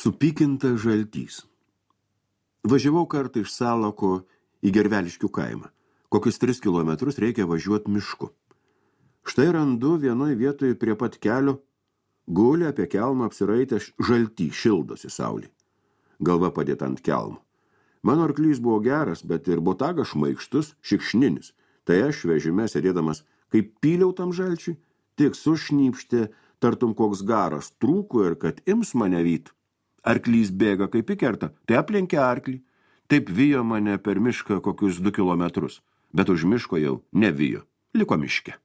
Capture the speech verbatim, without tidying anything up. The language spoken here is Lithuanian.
Supykinta žaltys. Važiavau kartą iš Salako į Gerveliškių kaimą. Kokius tris kilometrus reikia važiuoti mišku. Štai randu vienoje vietoje prie pat kelio, guli apie kelmą apsiraitęs žaltį, šildosi saulė. Galva padėta ant kelmo. Mano arklys buvo geras, bet ir botagas šmaikštus, šikšninis. Tai aš vežime sėdėdamas, kaip pyliau tam žalčiui, tik sušnypštė, tartum koks garas trūko ir kad ims mane vyt. Arklys bėga kaip į kertą, tai aplenkė arklį. Taip vijo mane per mišką kokius du kilometrus, bet už miško jau nevijo, liko miške.